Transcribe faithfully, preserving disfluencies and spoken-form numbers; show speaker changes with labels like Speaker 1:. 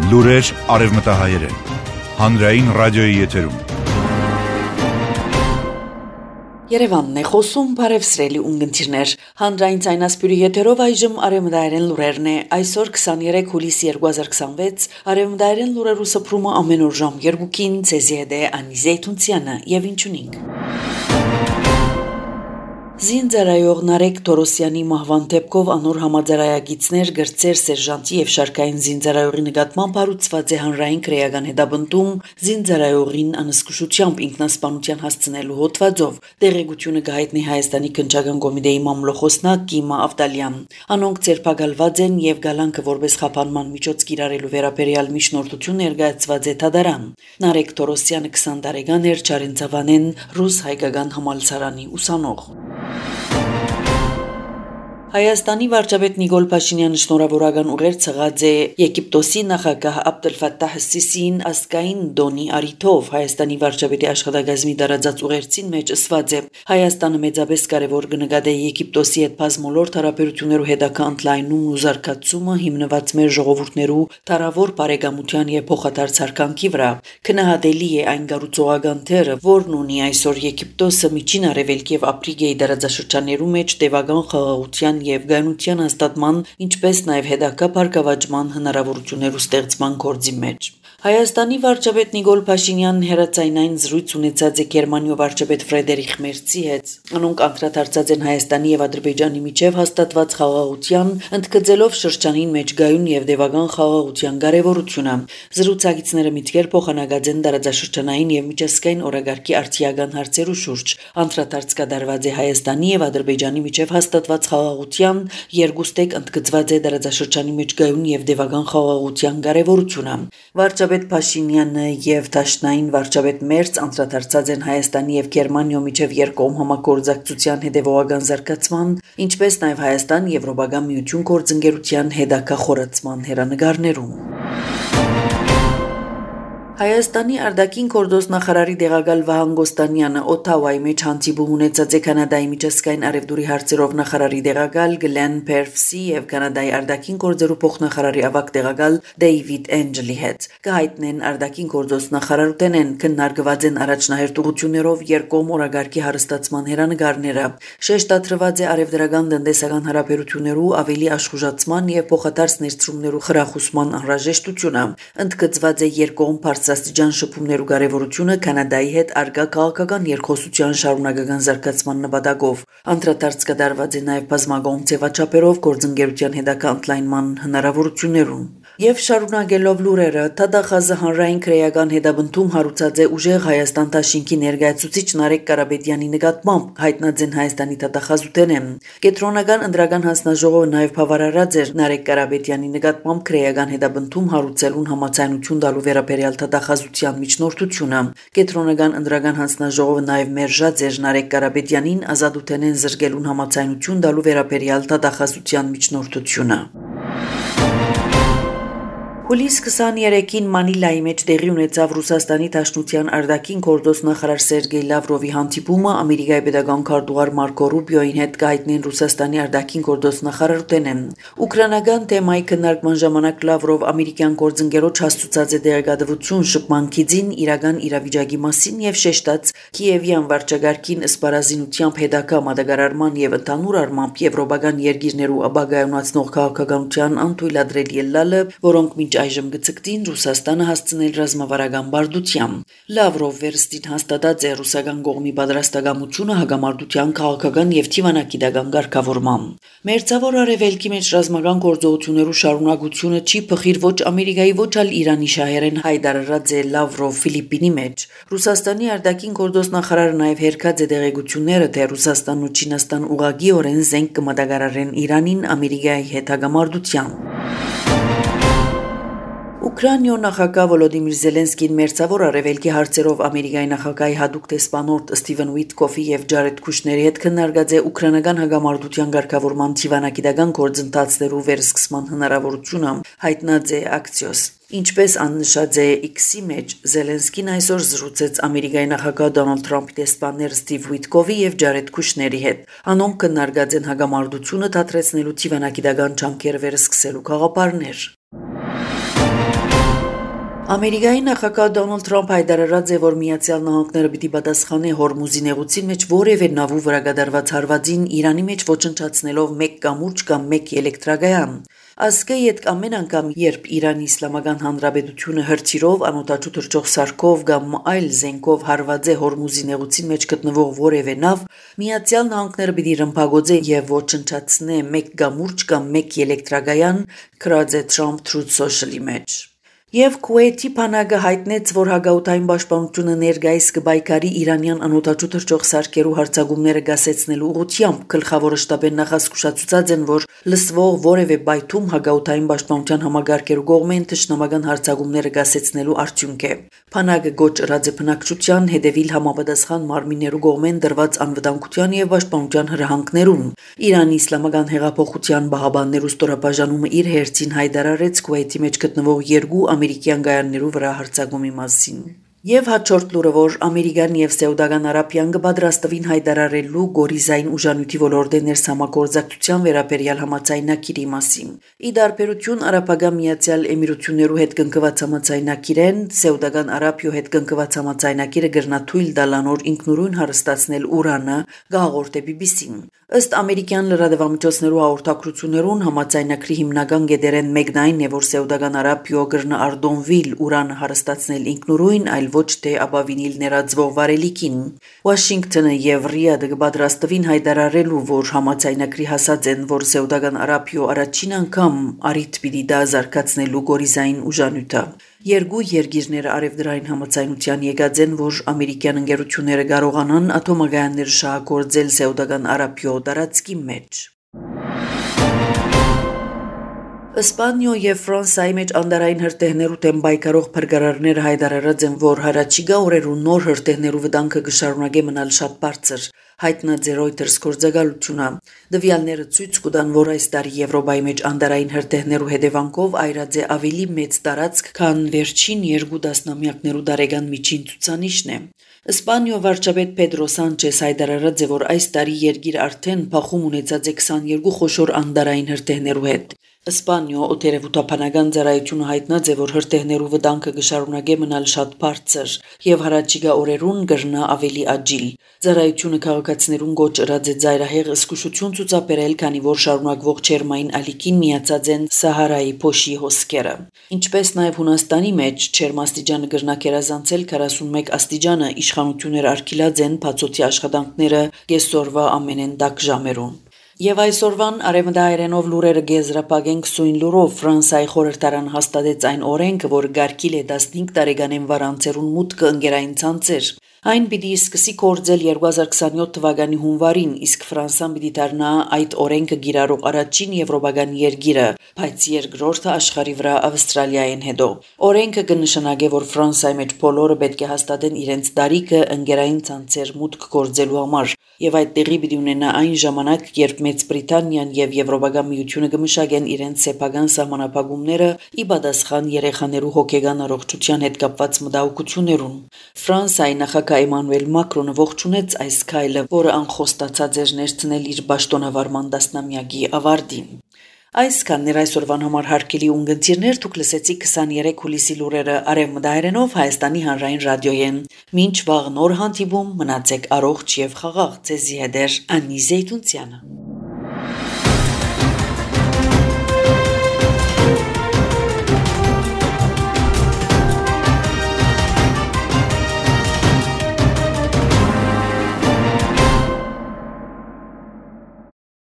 Speaker 1: Լուրեր արևմտահայերեն, հանրային ռադիոյի եթերում։
Speaker 2: Երևանն է խոսում, բարևսրելի ունգընտիրներ, հանրային ցայնասպյուրի եթերով այժմ արևմտահայերեն լուրերն է, այսօր քսաներեք հուլիս երկու հազար քսանվեց, արևմտահայերեն լուրերու սփռումը ամեն օր ժամ երկուքին, ցեզի հետ է Անի Զեյթունցյանը եւ ինչունինք։ Զինծառայող Նարեկ Թորոսյանի մահվան դեպքով անոր համաձայնագիցներ գրծեր սերժանտի եւ շարքային զինծառայողի նկատմամբ հարուցված է հանրային քրեական հետաբնտում զինծառայողին անսկսությամբ ինքնասպանության հասցնելու հոդվածով տեղեկությունը գահիտնի Հայաստանի քննչական կոմիտեի մամլոխոսնակ Կիմա Ավդալյան անոնք ցերպակալված են եւ գալանքը որպես խափանման միջոց կիրառելու վերաբերյալ միջնորդություն ներկայացված է Թադարան Նարեկ Թորոսյանը քսան տարեկան էր Չարենցավանեն ռուս հայկական համալսարանի ուսանող Հայաստանի վարչապետ Նիկոլ Փաշինյանը շնորհավորական ուղեր ցղած է Եգիպտոսի նախագահ Աբդել-Ֆաթահ Սիսիին ասկային դոնի արիթով Հայաստանի վարչապետի աշխատակազմի դարաձած ուղերձին մեջ ասված է Հայաստանը մեծապես կարևոր կնկատի Եգիպտոսի հետ բազմոլորտ հարաբերություններու հետագա ընդլայնումն ու զարգացումը հիմնված մեր ժողովուրդներու տարավոր բարեկամության եւ փոխադարձ հարկանքի վրա քնահատելի է այն գառուցողական թերը որն ունի այսօր Եգիպտոսը միջին արևելք եւ Աֆրիկայի դարաձաշրջաններու մեջ տևական խաղաղության եւ գայունության հաստատման, ինչպես նաեւ հետագա բարգավաճման հնարավորություններու ստեղծման գործի մեջ։ Հայաստանի վարչապետ Նիկոլ Փաշինյանն հերացայնային զրույց ունեցած է Գերմանիայի վարչապետ Ֆրեդերիխ Մերցի հետ։ Անոնք անդրադարձած են Հայաստանի եւ Ադրբեջանի միջև հաստատված խաղաղության, ընդգծելով շրջանին մեջ գայուն եւ դեպական խաղաղության կարեւորությունը։ Զրուցակիցները միտքեր փոխանակած են դարաձաշրջանային եւ միջազգային օրագարկի արտիական հարցերու շուրջ։ Անդրադարձ կատարված է Հայաստանի եւ Ադրբեջանի միջև հաստատված խաղաղության, երկուստեք ընդգծված է դարաձաշրջանի մեջ գայուն եւ դեպական խաղաղության կարեւորությունը։ Վարչապետ Փաշինյանը եւ Դաշնային վարչապետ Մերց անդրադարձած են Հայաստանի եւ Գերմանիայի միջև երկկողմ համագործակցության հետեւողական զարգացման, ինչպես նաեւ Հայաստան-Եվրոպական միություն գործընկերության հետագա խորացման հերանեկարներում։ Հայաստանի արտաքին գործոստ նախարարի տեղակալ Վահան Գոստանյանը Օթավայի մեջ հանդիպում ունեցած է Կանադայի միջազգային արևդուրի հարցերով նախարարի տեղակալ Գլեն Փերվսի եւ Կանադայի արտաքին գործերու փոխնախարարի ավագ տեղակալ Դեյվիդ Էնջելի հետ։ Կհայտնեն արտաքին գործոստ նախարարութենեն քննարկված են առաջնահերթություններով երկկողմ օրագարկի հարստացման հերանեկարները։ Շեշտադրված է արևդրական տնտեսական հարաբերություններու ավելի աշխուժացման եւ փոխադարձ ներդրումներու խրախուսման անհրաժեշտությունը։ Ընդգծված է երկկողմ Աստիճան շփումներու կարևորությունը Կանադայի հետ արգա քաղաքական երկխոսության շարունակական զարգացման նպատակով անդրադարձ կատարված է նաև բազմակողմ ձևաչափերով գործընկերության հետագա ընդլայնման հնարավորություններուն եւ շարունակելով լուրերը Թադախազը հանրային քրեական հետաբնտում հարուցած է ուժեղ Հայաստան Դաշինքի ներկայացուցիչ Նարեկ Կարապետյանի նկատմամբ հայտնած են Հայաստանի Թադախազութենը Կենտրոնական ընդրական հանձնաժողովը նաև բավարարած էր Նարեկ Կարապետյանի նկատմամբ քրեական հետաբնտում հարուցելուն համաձայնություն տալու վերաբերյալ Թադախազության միջնորդությունը Կենտրոնական ընդրական հանձնաժողովը նաև մերժած էր Նարեկ Կարապետյանին ազատութենեն զրկելուն համաձայնություն տալու վերաբերյալ Թադախազության միջնորդությունը Հուլիս քսաներեքին Մանիլայի մեջ տեղի ունեցավ Ռուսաստանի Դաշնության արտաքին գործոստ նախարար Սերգեյ Լավրովի հանդիպումը Ամերիկայի պետական քարտուղար Մարկո Ռուբիոյին հետ կայտնեն Ռուսաստանի արտաքին գործոստ նախարարութենեն։ Ուկրաինական թեմայի քննարկման ժամանակ Լավրով ամերիկյան գործընկերոջ հաստուցած է դերակատարություն շփման քիզին իրական իրավիճակի մասին եւ շեշտած Կիևյան վարչագարքին սպառազինությամբ հետագա մատակարարման եւ ընդհանուր առմամբ եվրոպական երկիրներու ապագայունացնող քաղաքականության անթույլատրելի ելլալը, որոնք մինչ այժմ գծկտին Ռուսաստանը հասցնել ռազմավարական բարդությամբ։ Լավրով վերստին հաստատած է ռուսական կողմի պատրաստակամությունը հագամարտության քաղաքական եւ թիվանակիտական ղեկավարմամբ։ Մերձավոր արևելքի մեջ ռազմական գործողություններու շարունակությունը չի փխիր ոչ Ամերիկայի ոչ ալ Իրանի շահերեն հայտարարած է Լավրով Ֆիլիպինի մեջ։ Ռուսաստանի արտաքին գործոստ նախարարը նաեւ հերքած է դեղեցությունները, թե Ռուսաստանն ու Չինաստան ուղղակիորեն զենք կմատակարարեն Իրանին Ամերիկայի հետ հագամարտությամբ։ Ուկրաինայո նախագահ Վոլոդիմիր Զելենսկին մերձավոր արևելքի հարցերով Ամերիկայի նախագահի հատուկ տեսփանորդ Սթիվեն Ուիտկոֆի եւ Ջարեդ Քուշների հետ քննարկած է ուկրաինական հագամարտության ղեկավարման թիվանակիտական գործընթացներու վերսկսման հնարավորությունը, հայտնած է Axios։ Ինչպես աննշած է X-ի մեջ, Զելենսկին այսօր զրուցեց Ամերիկայի նախագահ Դոնալդ Թրամփի տեսփաններ Սթիվ Ուիտկովի եւ Ջարեդ Քուշների հետ։ Անոնք քննարկած են հագամարտությունը դադրեցնելու թիվանակիտական ջանքեր վերսկսելու գաղափարներ։ Ամերիկայի նախագահ Դոնալդ Թրամփ հայտարարած է, որ Միացյալ Նահանգները պիտի պատասխանի Հորմուզի նեղուցին մեջ որևէ նավու վրա կատարված հարվածին Իրանի մեջ ոչնչացնելով մեկ կամուրջ կամ մեկ էլեկտրագայան։ Ասկե յետ ամեն անգամ, երբ Իրանի Իսլամական Հանրապետությունը հրթիռով, անօդաչու թռչող սարքով կամ այլ զենքով հարված է Հորմուզի նեղուցին մեջ գտնվող որևէ նավ, Միացյալ Նահանգները պիտի ռմբակոծե եւ ոչնչացնե մեկ կամուրջ կամ մեկ էլեկտրագայան, գրած է Trump Truth Social-ի մեջ։ Եվ Քուվեյթի բանակը հայտնեց, որ հագաուտային պաշտպանությունը ներկայիս կբայքարի իրանյան անօդաչու թռչող սարքերու հարձակումները գասեցնելու ուղղությամբ գլխավոր շտաբեն նախազգուշացուցած են, որ լսվող որևէ բայթում հագաուտային պաշտպանության համագարկերու կողմեն թշնամական հարձակումները գասեցնելու արդյունք է։ Բանակը գոչ ըրած է բնակչության հետևիլ համապատասխան մարմիններու կողմեն դրված անվտանգության եւ պաշտպանության հրահանգներուն։ Իրանի Իսլամական հեղափոխության բահաբաններու ստորաբաժանումը իր հերթին հայտարարեց Քուվեյթի մեջ գտնվող երկու ամերիկյան գայաններու վրա հարձակումի մասին։ Եվ հաջորդ լուրը, որ Ամերիկան եւ Սաուդական Արաբիան կպատրաստվին հայտարարելու գորիզային ուժանյութի ոլորտի ներսամագործակցության վերաբերյալ համաձայնագիրի մասին։ Ի դարբերություն Արաբական Միացյալ Էմիրություններու հետ կնքված համաձայնագիրեն, Սաուդական Արաբիո հետ կնքված համաձայնագիրը կրնա թույլ տալանոր ինքնուրույն հարստացնել ուրանը, գաղորդե բի բի սին։ Ըստ ամերիկյան լրատվամիջոցներու հաղորդակցություններուն համաձայնագրի հիմնական գետերեն մեկն այն է, որ Սաուդական Արաբիո կրնա արդոնվիլ ուրանը հարստացնել ինքնուրույն, այլ ոչ թե ապավինիլ ներածվող վարելիքին։ Վաշինգտոնը եւ Ռիադը կպատրաստվին հայտարարելու, որ համաձայնագրի հասած են, որ Սաուդական Արաբիո առաջին անգամ արիթ պիտի դա զարգացնելու գորիզային ուժանյութը։ Երկու երկիրները արևդրային համաձայնության եկած են, որ ամերիկյան ընկերությունները կարողանան աթոմագայաններ շահագործել Սաուդական Արաբիո տարածքի մեջ։ Իսպանիո եւ Ֆրանսիայի մեջ անդարային հրթիռներու դեմ պայքարող փրկարարները հայտարարած են, որ հարաճիգա օրերու նոր հրթիռներու վտանգը կշարունակի մնալ շատ բարձր, հայտնած է Reuters գործակալությունը։ Դվյալները ցույց կտան, որ այս տարի Եվրոպայի մեջ անդարային հրթիռներու հետևանքով այրած է ավելի մեծ տարածք, քան վերջին երկու տասնամյակներու տարեկան միջին ցուցանիշն է։ Իսպանիո վարչապետ Պեդրո Սանչես հայտարարած է, որ այս տարի երկիրը արդեն փախում ունեցած է քսաներկու խոշոր անդարային հրթիռներու հետ։ Իսպանիո օտերևութաբանական ծառայությունը հայտնած է, որ հրթիռներու վտանգը կշարունակի մնալ շատ բարձր եւ հարաճիգա օրերուն կրնա ավելի աջիլ։ Ծառայությունը քաղաքացիներուն գոչ ըրած է ծայրահեղ զսկուշություն ցուցաբերել, քանի որ շարունակվող ջերմային ալիքին միացած են Սահարայի փոշի հոսքերը։ Ինչպես նաեւ Հունաստանի մեջ ջերմաստիճանը կրնա գերազանցել քառասունմեկ աստիճանը, իշխանությունները արգելած են բացօթյա աշխատանքները կեսօրվա ամենեն տաք ժամերուն։ Եվ այսօրվան արևմտահայերենով լուրերը գեզրապագենք սույն լուրով Ֆրանսիայի խորհրդարան հաստատեց այն օրենքը, որ գարկիլ է տասնհինգ տարեկանեն վարանցերուն մուտքը ընկերային ցանցեր։ Այն պիտի սկսի գործել երկու հազար քսանյոթ թվականի հունվարին, իսկ Ֆրանսիան պիտի դառնա այդ օրենքը գիրառող առաջին եվրոպական երկիրը, բայց երկրորդը աշխարհի վրա Ավստրալիային հետո։ Օրենքը կնշանակի, որ Ֆրանսիայի մեջ բոլորը պետք է հաստատեն իրենց տարիքը ընկերային ցանցեր մուտք գործելու համար, եւ այդ տեղի պիտի ունենա այն ժամանակ, երբ Մեծ Բրիտանիան եւ Եվրոպական միությունը կմշակեն իրենց սեփական սահմանափակումները ի պատասխան երեխաներու հոգեգան առողջության հետ կապված մտահոգություններուն։ Ֆրանսիայի նախագահ Էմանուել Մակրոնը ողջունեց այս քայլը, որը անխոստացած էր ներցնել իր պաշտոնավարման տասնամյակի ավարտին։ Այսքանն այսօրվան համար հարգելի ունգընտիրներ, դուք լսեցիք քսաներեք հուլիսի լուրերը արևմտահայերենով Հայաստանի հանրային ռադիոյեն։ Մինչ վաղ նոր հանդիպում, մնացեք առողջ եւ խաղաղ, ձեզի հետ է Անի Զեյթունցյանը։